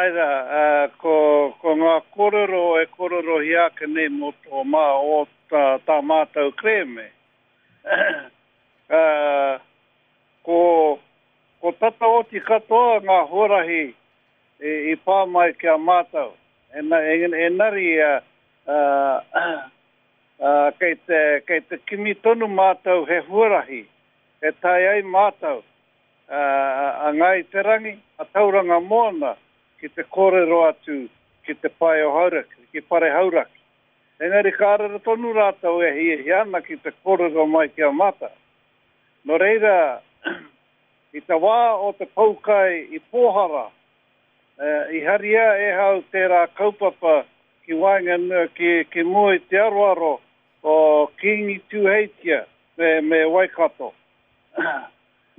Āe rā, ko, ko ngā kōrero e kōrerohia ake nei mō tō mā, o tā, tā mātou kerēme, ko, ko tata oti katoa ngā huarahi i, i pā mai ki a mātou. Engari, kei te, kei te kimi tonu mātou he huarahi e tae ai mātou a Ngāi Te Rangi, a Tauranga Moana ki te kōrero atu ki te pae o Hauraki, ki Pare Hauraki. Engari ka rere tonu rātou e hiahia ana ki te kōrero mai ki a mātou. Nō reira, i te wā o te poukai i Pōhara, i haria e hau tērā kaupapa ki waenganui, ki, ki mua i te aroaro o Kīngi Tūheitia me, me Waikato.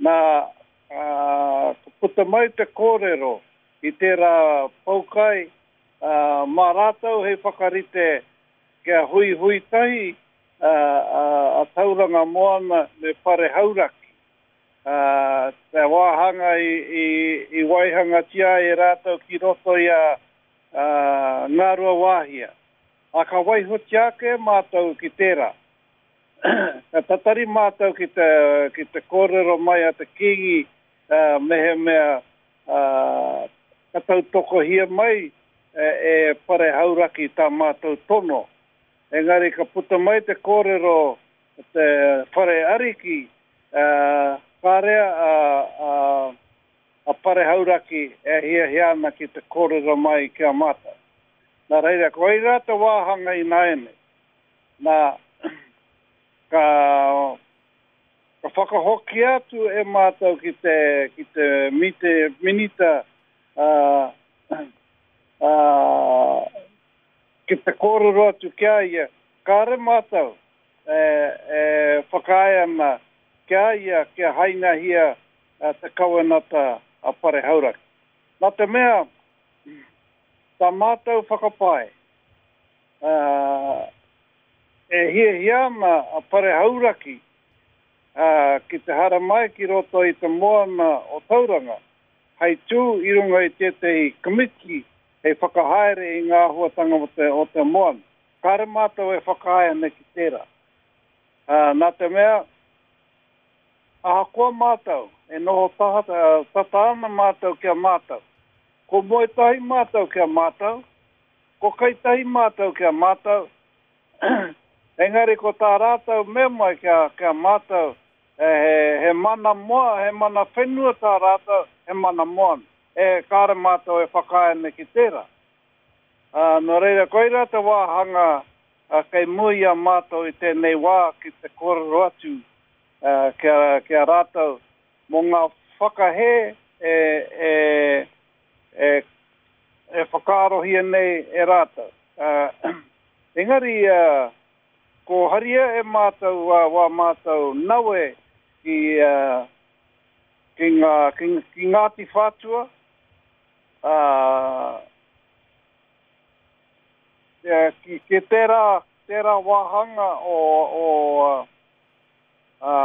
Nā, ka puta mai te kōrero i tērā poukai, mā rātou hei whakarite kia huihui tahi a Tauranga Moana me Pare Hauraki. Te wāhanga i waihangatia ai e rātou ki roto i a Ngāruawāhia. Ā, ka waihotia ake e mātou ki tērā. Ka tatari mātou ki te, ki te kōrero mai a te Kīngi mehemea ka tautokohia mai e Pare Hauraki tā mātou tono. Engari ka puta mai te kōrero o te Whare Ariki, kāre a, a Pare Hauraki e hiahia ana ki te kōrero mai ki a mātou. Nā reira, koirā te wāhanga ināianei. Nā, ka, ka whakahokia atu e mātou ki te, ki te mite, minita, ā, ā, ki te kōrero atu ki a ia, kāre mātou e, e whakaae ana ki a ia kia hainahia te kawenata a Pare Hauraki. Nā te mea, tā mātou whakapae, Ā, e hiahia ana a Pare Hauraki, ā, ki te haramai ki roto i te moana o Tauranga, hei tū i runga i tētehi komiti hei whakahaere i ngā āhuatanga o te, o te moana. Kāre mātou e whakaae ana ki tērā. Ā, nā te mea, ahakoa mātou e noho taha, tata ana mātou ki a mātou, ko moe tahi mātou ki a mātou, Ko kai tahi mātou ki a mātou, engari ko tā rātou mea mai ki a, ki a mātou, he, he mana moa, he mana whenua tā rātou, he mana moana. E, kāre mātou e whakaae ana ki tērā. Ā, nō reira, koirā te wāhanga kei mua i a mātou i tēnei wā ki te kōrero atu ki a, ki a rātou mō ngā whakahē e, e, e, e whakaarohia nei e rātou. Engari, ko haria e mātou wā mātou nawe ki, ki, ngā, ki, ki Ngāti Whātua, ā, ki, ki tērā, tērā wāhanga o, o, ā,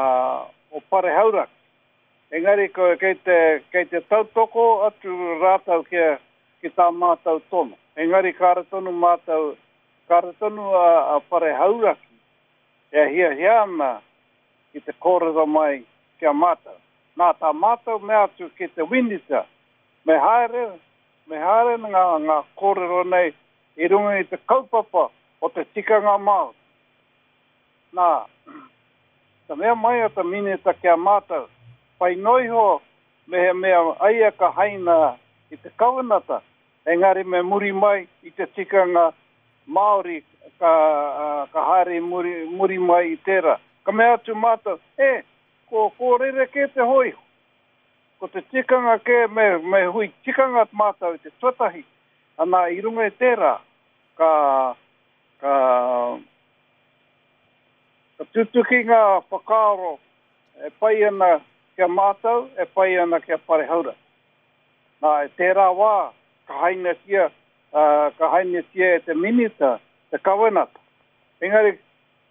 o Pare Hauraki. Engari kei te, kei te tautoko atu rātou ki, ki tā mātou tono. Engari kāre tonu mātou, kāre tonu a, a Pare Hauraki e hiahia ana ki te kōrero mai ki a mātou. Nā tā mātou mea atu ki te Winita, me haere, me haere ngā, ngā kōrero nei i runga i te kaupapa o te tikanga Māori. Nā, ka mea mai a te Minita ki a mātou, pai noa iho mehemea aia ka haina i te kawenata, engari me muri mai i te tikanga Māori ka, ka haere i muri, muri mai i tērā. Ka mea atu mātou, e, ko, ko rerekē te hōiho. Ko te tikanga kē me, me hui tikanga mātou i te tuatahi, ana i runga i tērā, ka, ka, Ka tutuki ngā whakaaro e pai ana ki a mātou, e pai ana ki a Pare Hauraki. Nā, i tērā wā, ka hainatia, ka hainatia e te Minita te kawenata. Engari,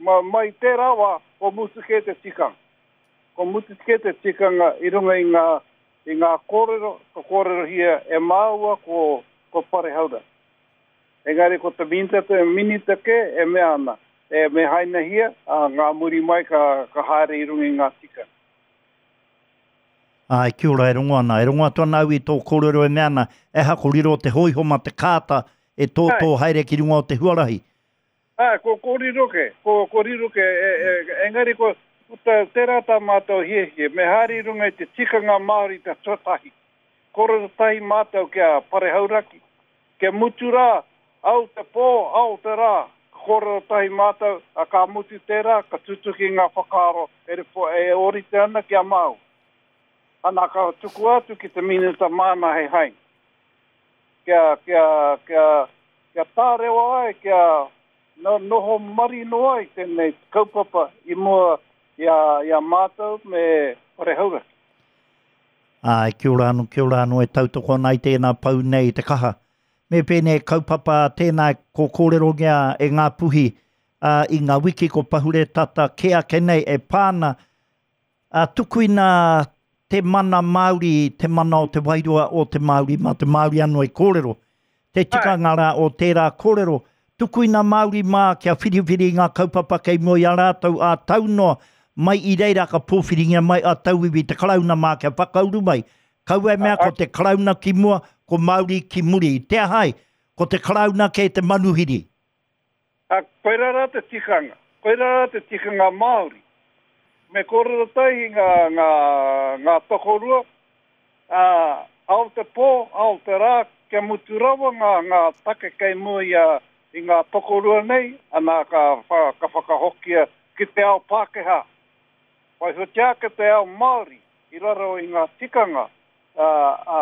mai i tērā wā, kua mutu kē te tikanga. Kua mutu kē te tikanga i runga i ngā, i ngā kōrero, ka kōrerohia e māua ko. ko Pare Hauraki. Engari ko te Minita, te Minita kē e mea ana, e me hainahia, ā, ngā muri mai ka, ka haere i runga i ngā tikanga. Āe, kia ora, e rongo ana. E rongo atu ana au i tō kōrero e mea ana, e aha ko riro te hōiho mā te kāta e tōtō haere ki runga o te huarahi. Āe, ko, ko riro kē, ko, ko riro kē, e, e, engari ko, ko tā, tērā tā mātou hiahia, me haere i runga i te tikanga Māori te tuatahi. Kōrero tahi mātou ki a Pare Hauraki, Kia mutu rā, ao te pō, ao te rā, ka kōrero tahi mātou, ā, ka mutu tērā, ka tutuki ngā whakaaro e e ōrite ana ki a māua. Ana, ka tukua atu ki te Minita māna hei haina. Kia, kia, kia, kia tārewa ai, kia noho marino ai tēnei kaupapa i mua i a, i a mātou me Whare Hauraki. Āe, kia ora anō, kia ora anō e tautoko ana i tēnā pou nei i te kaha. Me pēnei kaupapa tēnā ko kōrerongia e Ngāpuhi ā, i ngā wiki ko pahure tata kē ake nei e pā ana, ā, tukuina te mana Māori, te mana o te wairua o te Māori, mā te Māori anō e kōrero. Te tikanga rā o tērā kōrero, tukuina Māori mā kia whiriwhiri i ngā kaupapa kei mua i a rātou ā tau noa, mai i reira ka pōwhiringia mai a tauiwi te Karauna mā kia whakauru mai. Kaua e mea ko te Karauna ki mua, ko Māori ki muri. Te aha ai? Ko te Karauna kē te manuhiri. Ā, koirā rā te tikanga. Koirā rā te tikanga Māori. Me kōrero tahi ngā, ngā, ngā tokorua, ā, ao te pō, ao te rā, kia mutu rawa ngā, ngā take kei mua i a, i ngā tokorua nei, anā, ka, ka whakahokia ki te ao Pākehā. Waihotia ake te ao Māori i raro i ngā tikanga, ā, ā,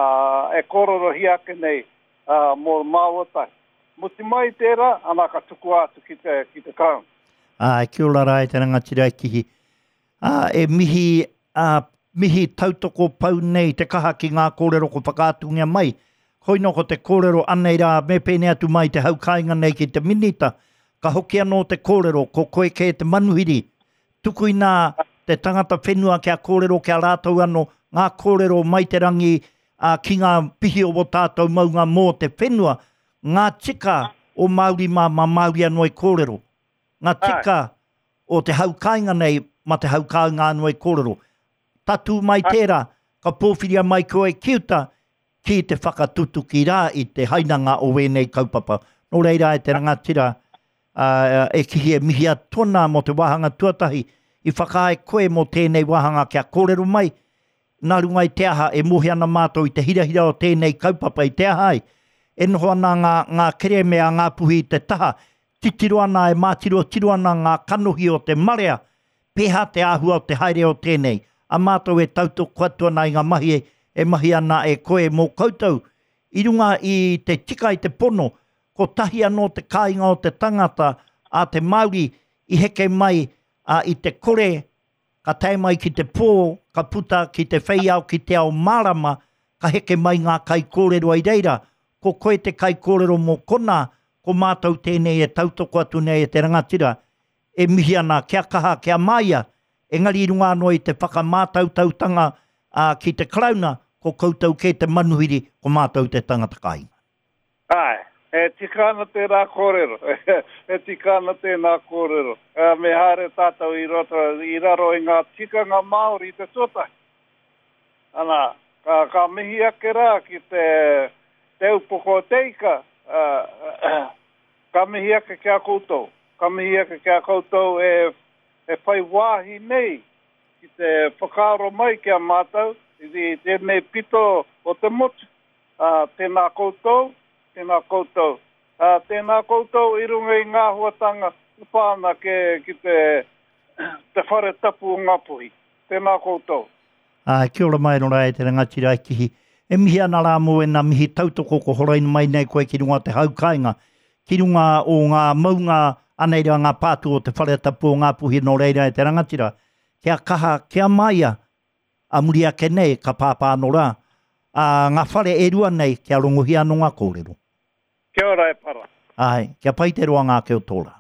e kōrerohia ake nei, ā, mō māua tahi. Mutu mai tērā, ana ka tukua atu ki te, ki te Crown. Āe, kia ora rā e te rangatira e Kihi. Ā, e mihi, ā, mihi tautoko pau nei te kaha ki ngā kōrero ko whakaatungia mai. Koino ko te kōrero anei rā, me pēnei atu mai te hau kāinga nei ki te Minita. Ka hoki anō te kōrero, ko koe kē te manuhiri. Tukuina te tangata whenua kia kōrero ki a rātou anō, ngā kōrero mai te rangi, ā, ki ngā pihi o wō tātou maunga mō te whenua, ngā tika o Māori mā, mā Māori anō e kōrero. Ngā tika o te hau kāinga nei, mā te hau kāinga anō e kōrero. Tatū mai tērā, ka pōwhiria mai koe ki uta, ki te whakatutuki rā i te hainanga o wēnei kaupapa. Nō reira e te rangatira, ā, e kihi e mihi atu ana mō te wāhanga tuatahi, i whakaae koe mō tēnei wāhanga kia kōrero mai, Nā runga i te aha e mōhio ana mātou i te hirahira o tēnei kaupapa i te aha ai, e noho ana ngā, ngā kerēme a Ngāpuhi i te taha, titiro ana e mātirotiro ana ngā kanohi o te marea, pēhā te āhua o te haere o tēnei, a mātou e tautoko atu ana i ngā mahi e mahi ana e koe mō koutou, i runga i te tika i te pono, kotahi anō te kāinga o te tangata a te Māori i heke mai, ā, i te kore Ka tae mai ki te pō, ka puta ki te whei ao ki te ao mārama, ka heke mai ngā kaikōrero i reira, ko koe te kaikōrero mō konā, ko mātou tēnei e tautoko atu nei e te rangatira, e mihi ana kia kaha, kia māia, engari i runga anō i te whakamātautautanga ki te Karauna, ko koutou kē te manuhiri, ko mātou te tangata kāinga. Āe, e tika ana tērā kōrero, e tika ana tēnā kōrero. Me haere tātou i roto, i raro i ngā tikanga Māori i te tuatahi. Ana, ka, ka mihi ake rā ki te, te upoko o te ika, ka mihi ake ki a koutou, ka mihi ake ki a koutou e, e whai wāhi nei ki te whakaaro mai ki a mātou i tēnei pito o te motu. Ā, tēnā koutou, tēnā koutou. Ā, tēnā koutou i runga i ngā āhuatanga e pā ana ki, ki te, te whare tapu o Ngāpuhi. Tēnā koutou. Ā, kia ora mai rora e te rangatira e Kihi. E mihi ana rā mō ēnā mihi tautoko ko horaina mai nei koe ki runga o te hau kāinga, ki runga o ngā maunga anei rā ngā pātū o te whare tapu o Ngāpuhi nō reira e te rangatira. Kia kaha, kia māia, A muri ake nei, ka pāpā anō rā, ā, ngā whare e rua nei, kia rongohia anō ngā kōrero. Kia ora e Para. Āe, kia pai te roanga ake o tō rā.